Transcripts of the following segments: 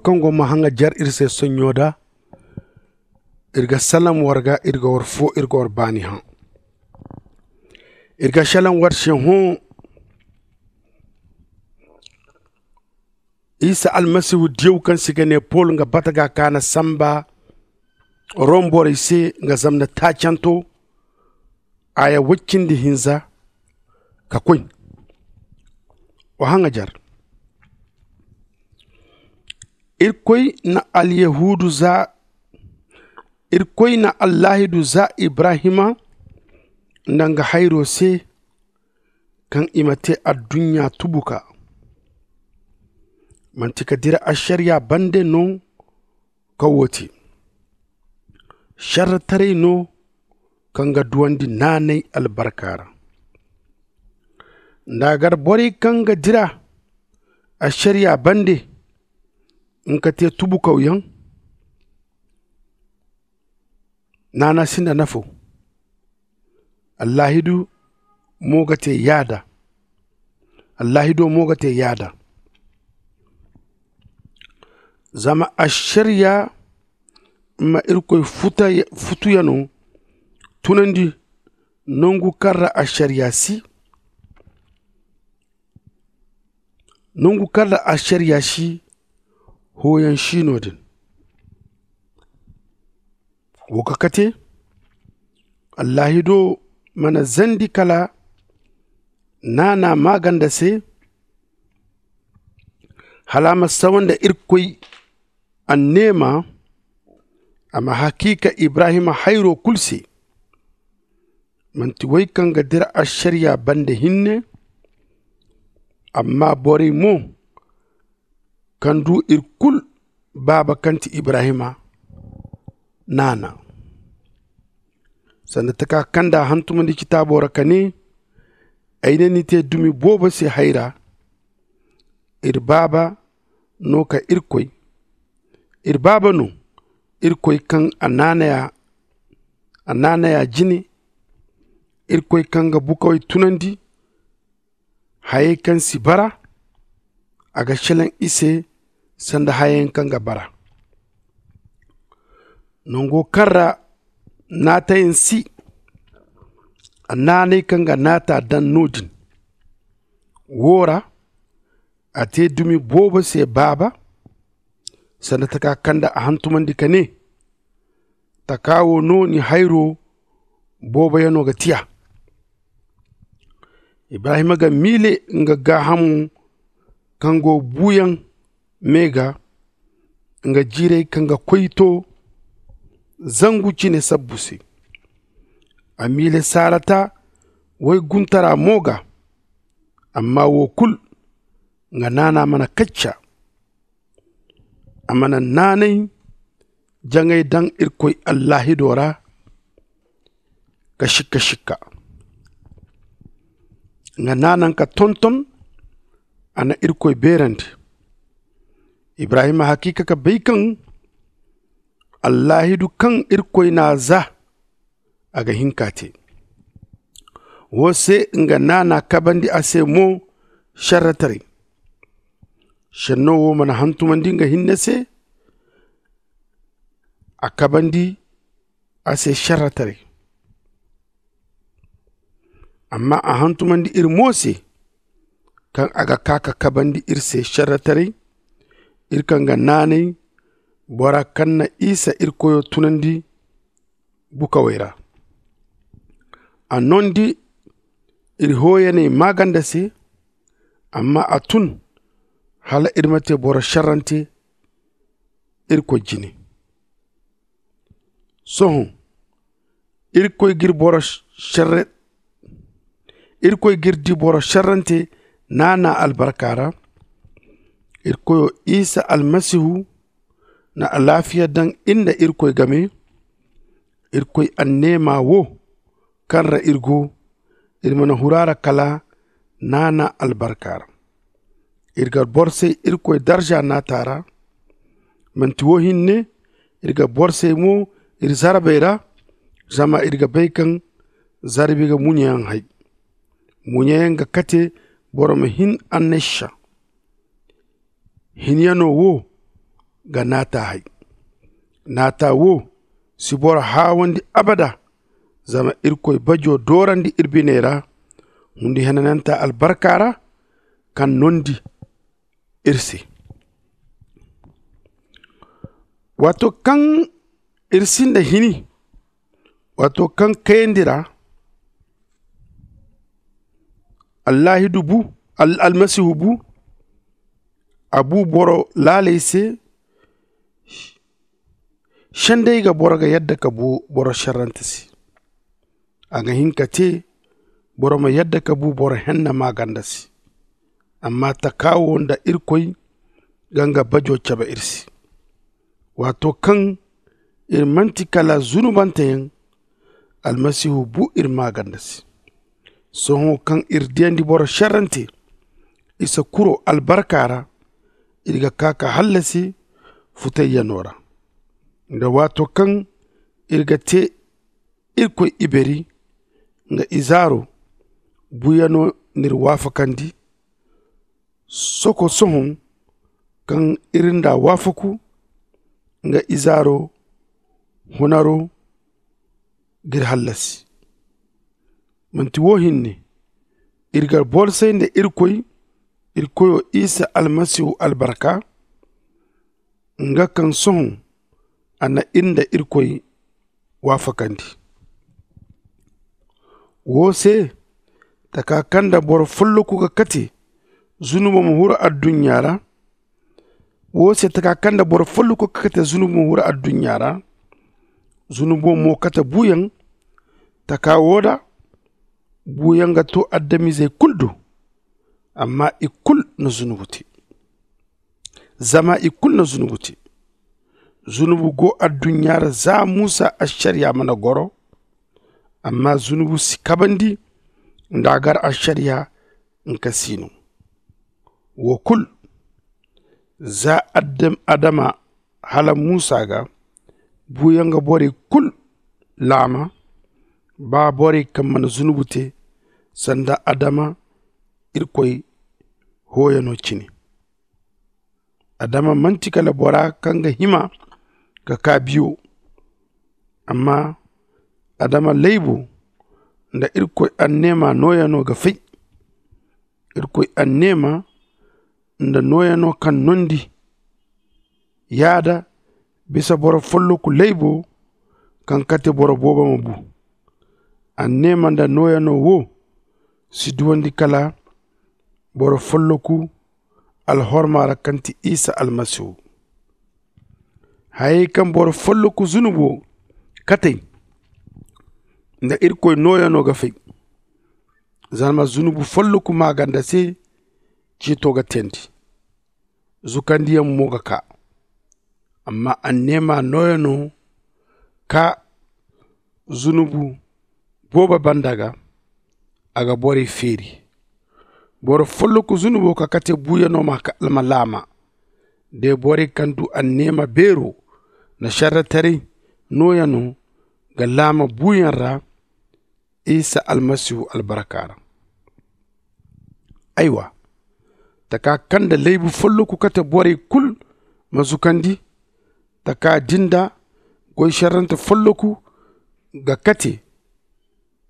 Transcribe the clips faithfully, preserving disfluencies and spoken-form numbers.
kaŋ go ma haŋa jar iri se sonɲo da. Iri ga salam war ga iri ga war fo iri ga war baani hã. Iri ga salam war se hõ. Isa almasihu diyaw kaŋ se i ga ne pol nga bata ga ka na samba rom borey se nga zamna taacanto. Aya woy cindi hinza ka koy. Wa haŋa jar. Irkoy na alyahuudu za irkoy na allaahidu za ibrahima nda nga hayro se kaŋ i ma te adduɲɲa tubuka. Manti ka dira ašariya bande no kaŋ wo te šerretaray no kaŋ ga duwandi naanay albarka ra. Nda a gar borey kaŋ ga dira ašariya bande nga te tubukawyaŋ naana sinda nafo. Allaahidu mo ga te yaada. Allaahido mo ga te yaada. Zama ašariya ma irkoy futuyano tunandi nangu kaŋ ra ašariya si nangu kaŋ ra ašariya si hooyaŋ si no din. Wo ga kate allaahido mana zandi kala naana maaganda se hala a ma sawa nda irkoy anneema. A ma hakiika ibrahima hayro kulu se manti wey kaŋ ga dira ašariya bande hinne. Amma borey mo kaŋ du iri kulu baaba kaŋ ti ibrahima naana sanda taka kaŋ nda a hantumandi citaabo ra ka ne ay ne ni te dumi boobo se hayra. Iri baaba no ka irkoy iri baaba no irkoy kaŋ a naanaya a naanaya jine. Irkoy kaŋ ga bukawey tunandi hayey kaŋ si bara a ga selaŋ i se sanda hayayaŋ kaŋ ga bara nango kaŋ ra naatayaŋ si a naanay kaŋ ga naata daŋ no- din. Wo ra a te dumi boobo se baaba sanda taka kaŋ nda a hantumandi ka ne taka wo no ni hayro booboyaŋo ga tiya. Ibrahima ga miile nga gaahamo kaŋ go buuyaŋ me ga nga jiirey kaŋ ga koy to zangu cine sabbu se. A miile sarata woy guntara mo ga amma wo kulu nga naana mana kacca. A mana naanay jaŋay daŋ irkoy allaahido ra ka sikka sikka. Nga naanaŋ ka tonton a na irkoy beerandi. Ibrahima hakiika ka bay kaŋ allaahidu kaŋ irkoy n'a za a ga hin k'a te. Wo se nga naana kabandi a se mo šerretaray. Šenno wo mana hantumandi nga hinne se a kabandi a se šerretaray. Amma a hantumandi iri mo se kaŋ a ga ka ka kabandi iri se šerretaray. Iri kaŋ ga naanay bora kaŋ na isa iri koyo tunandi bukawey ra. A nondi iri hooyaney maaganda se. Amma a tun hala iri ma te boro šerrante irkoy jine. Sohõ irkoy g'iri boro šerre irkoy g'iri di boro šerrante naana albarka ra. Iri koyo isa almasihu na alaafiya daŋ iri nda irkoy game. Irkoy anneema wo kaŋ ra iri go iri mana huru a ra kala naana albarka ra. Iri ga borsay irkoy darza naata ra. Manti wo hinne iri ga borsay mo iri zarbey ra. Zama iri ga bay kaŋ zarbi ga muɲeyaŋ hay. Muɲeyaŋ ga kate boro ma hin annasha hinyano wo ga naata hay. Naata wo si boro haawandi abada. Zama irkoy bajo doorandi ir biney ra hundi henananta albarka ra, kaŋ nondi ir se. Waato kaŋ ir sinda hini, waato kaŋ kayandi ra, allaahidu bu, almasihu bu, a bu boro laaley se. Senday ga boro ga yadda ka bu boro šerrante se. A ga hin ka te boro ma yadda ka bu boro henna maaganda se. Amma taka wo nda irkoy ga nga bajo cabe ir se. Waato kaŋ ir manti kala zunubanteyaŋ, almasihu bu ir maaganda se. Sohõ kaŋ ir diyandi boro šerrante isa kuro albarka ra, ir ga kaa ka hallasi futayyano ra. Nda waato kaŋ ir ga te irkoy iberi nga izaaro, buyano n'ir waafakandi. Soko sohõ kaŋ ir nda waafaku, nga izaaro hunaro g'ir hallasi. Manti wo hinne, ir ga borsay nda irkoy, ir koyo isa almasihu albarka, nga kaŋ sohõ a na ir nda irkoy waafakandi. Wo se taka kaŋ nda boro folloku ga kate zunubo ma huru adduɲɲa ra. Wo se taka kaŋ nda boro folloku ga kate zunubo ma huru adduɲɲa ra, zunubo mo kate buuyaŋ. Taka wo da buuyaŋ ga to adamizey kulu do. Amma i kulu na zunubu te. Zama i kulu na zunubu te. Zunubu go adduɲɲa ra za musa ašariya mana goro. Amma zunubu si kabandi nda a gar ašariya nka si no. Wo kulu za adama hala musa ga buuyaŋ ga borey kulu laama. Ba borey kaŋ mana zunubu te sanda adama irkoy hooyano cine. Adama manti kala bora kaŋ ga hima ka kaa biyo. Amma adama laybo nda irkoy anneema nooyano ga fay. Irkoy anneema nda nooyano kaŋ nondi yaada bisa boro folloku laybo kaŋ kate boro boobo ma bu. Anneema nda nooyano wo si duwandi kala boro folloku alhorma ra kaŋ ti isa almasihu. Hayey kaŋ boro folloku zunubo katey nda irkoy nooyano ga fay. Zama zunubu folloku maaganda se ceeto ga teendi, zukandiyaŋ mo ga kaa. Amma anneema nooyano ka zunubu boobo banda ga, a ga borey feeri. Boro folloku zunubo ka kate buuyano ma laama. De borey kaŋ du anneema beero nda šerretaray nooyano ga laama buuyaŋ ra isa almasihu albarka ra. Aywa, taka kaŋ nda laybu folloku kate borey kulu ma zukandi. Taka din da goy šerrante folloku ga kate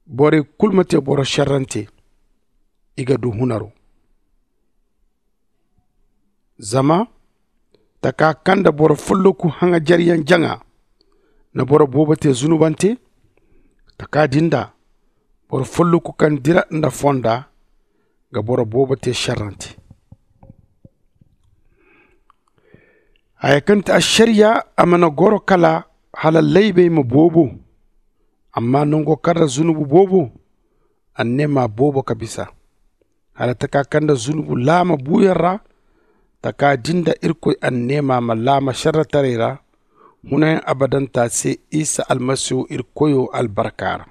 borey kulu ma te boro šerrante. I ga du hunaro. Zama taka kaŋ nda boro folloku haŋajeryaŋ jaŋa na boro boobo te zunubante. Taka din da boro folloku kaŋ dira nda fonda ga boro boobo te šerrante. Haya kaŋ ti ašariya a mana goro kala hala laybey ma boobo. Amma nango kaŋ ra zunubu boobo anneema boobo ka bisa. Hala taka kaŋ nda zunubu laama buuyaŋ ra taka din da irkoy anneema ma laama šerretaray ra hunayaŋ abadanta se isa almasihu iri koyo albarka ra.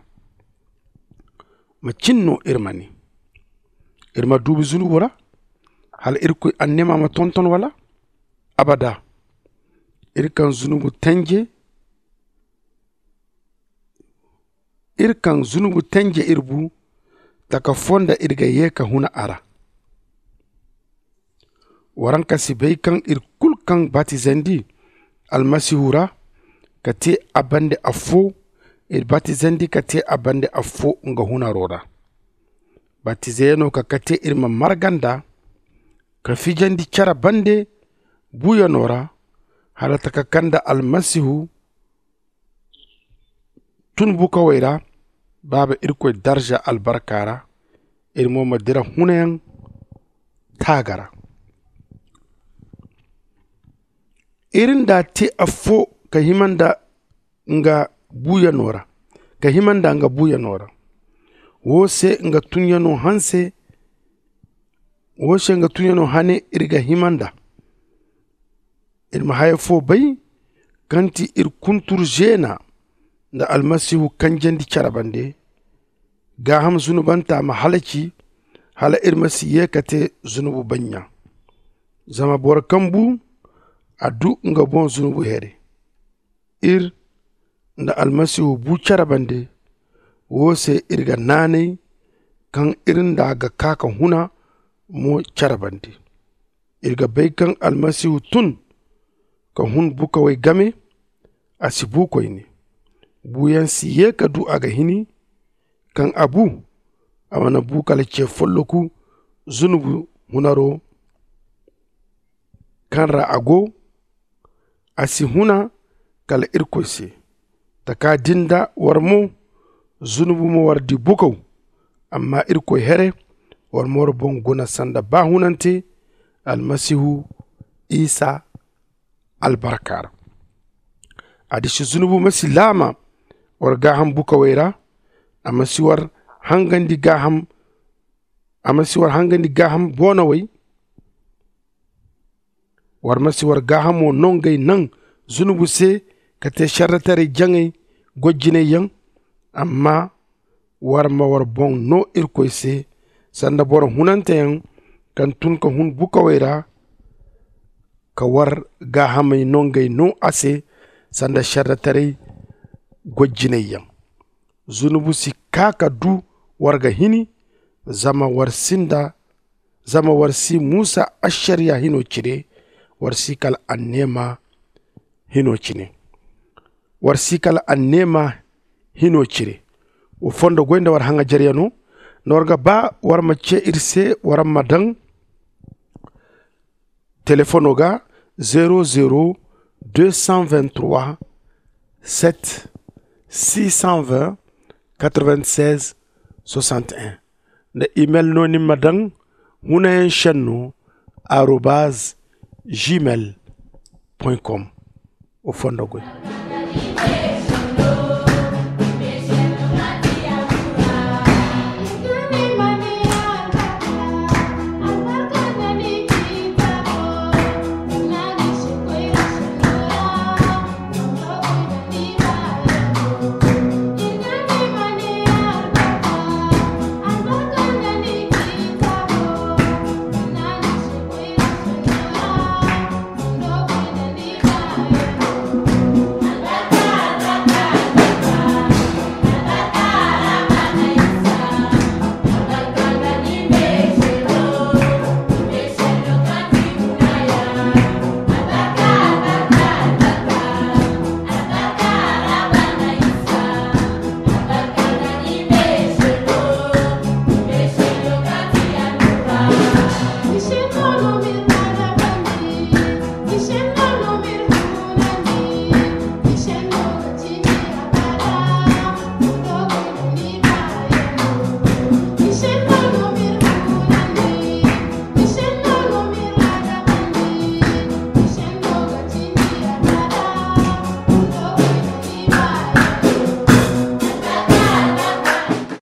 Macin no iri ma ne iri ma duubi zunubu ra hala irkoy anneema ma tonton wala? Abada. Iri kaŋ zunubu tanje iri kaŋ zunubu tanje iri bu taka fo nda iri ga ye ka huna a ra. Waranka si bay kaŋ iri kulu kaŋ batizandi almasihu ra ka te a bande affo. Iri batizandi ka te a bande affo nga hunaro ra. Batizeyaŋo ka kate iri ma marga nd'a ka fijandi care bande buuyaŋo ra hala taka kaŋ nda almasihu tun bukawey ra baaba irkoy darza albarka ra. Iri mo ma dira hunayaŋ taaga ra. Iri nda te affo ka hima nda nga buuyaŋo ra ka hima nda nga buuyaŋo ra. Wo se nga tunyaŋo hanse wo se nga tunyaŋo hane iri ga hima nda. Iri ma haya fo bay kaŋ ti iri kuntur zeena nda almasihu kanjandi care bande. Gaaham zunubanta ma halaci hala iri ma si ye ka te zunubu bannya. Zama boro kaŋ bu a du nga boŋ zunubu here. Iri nda almasihu bu care bande. Wo se iri ga naanay kaŋ iri nda ga kaa ka huna mo care bande. Iri ga bay kaŋ almasihu tun ka hun bukawey game. A si bu koyne. Buuyaŋ si ye ka du a ga hini. Kaŋ a bu a mana bu kala ce folloku zunubu hunaro kaŋ ra a go. A si huna kala irkoy se. Taka din da war mo zunubu ma war di bukaw. Amma irkoy here war ma war boŋ guna sanda baahunante almasihu isa albarka ra. A disi zunubu ma si laama war gaaham bukawey ra. A ma si war hangandi gaaham a ma si war hangandi gaaham boonawey. War ma si war gaahamo no ngey naŋ zunubu se ka te serretaray jaŋay gojjinayyaŋ. Amma war ma war boŋ no irkoy se sanda boro hunanteyaŋ kaŋ tun ka hun bukawey ra. Ka war gaahamey no ngey no a se sanda serretaray gojjinayyaŋ. Zunubu si kaa ka du war ga hini. Zama war si nda zama war si musa ašariya hino cire. War si kala anneema hino cine. War si kala anneema hino cire. Wa fondo goy nda war haŋajaryaŋo nda war ga ba war ma ce iri se war ma daŋ telefono ga. Zero zero deux cent vingt trois sept six cent vingt quatre vingt seize soixante un. Nda imel no ni ma daŋ hunayaŋ senno arobaz gmail point com. Wa fondo goy.